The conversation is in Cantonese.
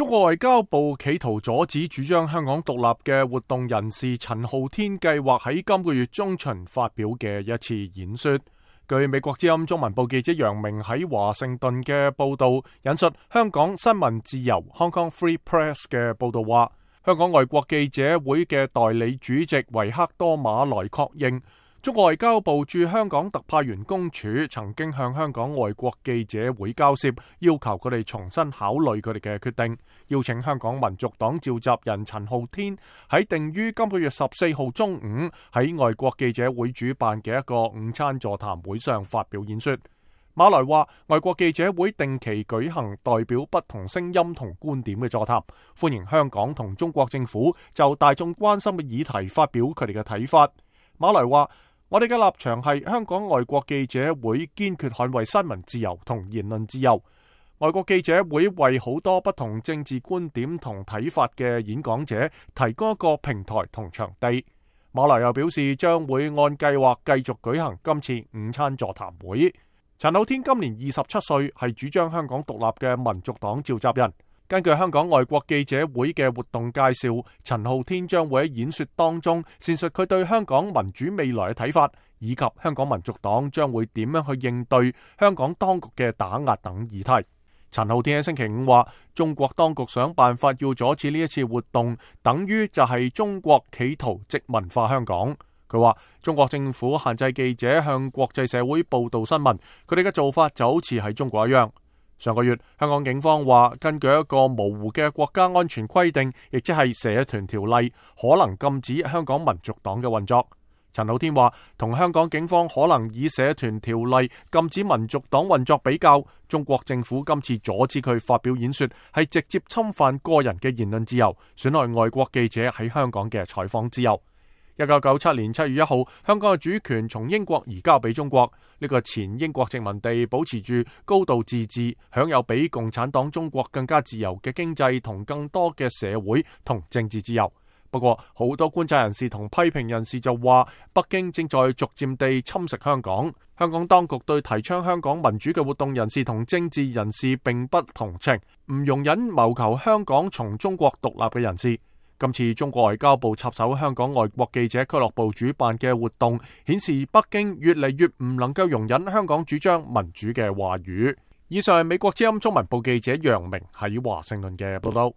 中國外交部企圖阻止主張香港獨立嘅活動人士陳浩天計劃喺今個月中旬發表嘅一次演說。據美國之音中文部記者楊明喺華盛頓嘅報道，引述香港新聞自由 Hong Kong Free Press 嘅報道話，香港外國記者會嘅代理主席維克多馬萊確認，中國外交部駐香港特派員公署曾經向香港外國記者會交涉，要求佢哋重新考慮佢哋嘅決定，邀請香港民族黨召集人陳浩天喺定於今個月14號中午喺外國記者會主辦嘅一個午餐座談會上發表演說。馬來話，外國記者會定期舉行代表不同聲音同觀點嘅座談，歡迎香港同中國政府就大眾關心嘅議題發表佢哋嘅睇法。馬來話，我哋嘅立場係香港外國記者會堅決捍衛新聞自由同言論自由。外國記者會為好多不同政治觀點同睇法嘅演講者提供一個平台同場地。馬來又表示將會按計劃繼續舉行今次午餐座談會。陳浩天今年27歲，係主張香港獨立嘅民族黨召集人。根據香港外國記者會嘅活動介紹，陳浩天將會喺演說當中闡述佢對香港民主未來嘅睇法，以及香港民族黨將會點樣去應對香港當局嘅打壓等議題。陳浩天喺星期五話，中國當局想辦法要阻止呢一次活動，等於就係中國企圖殖民化香港。佢話中國政府限制記者向國際社會報道新聞，佢哋嘅做法就好似喺中國一樣。上個月，香港警方話根據一個模糊嘅國家安全規定，亦即係社團條例，可能禁止香港民族黨嘅運作。陳浩天話，同香港警方可能以社團條例禁止民族黨運作比較，中國政府今次阻止佢發表演說，係直接侵犯個人嘅言論自由，損害外國記者喺香港嘅採訪自由。1997年7月1號，香港嘅主權從英國移交俾中國，呢個前英國殖民地保持住高度自治，享有比共產黨中國更加自由嘅經濟同更多嘅社會同政治自由。不過，好多觀察人士同批評人士就話，北京正在逐漸地侵蝕香港。香港當局對提倡香港民主嘅活動人士同政治人士並不同情，唔容忍謀求香港從中國獨立嘅人士。今次中國外交部插手香港外國記者俱樂部主辦嘅活動，顯示北京越嚟越唔能夠容忍香港主張民主嘅話語。以上係美國之音中文部記者楊明喺華盛頓嘅報道。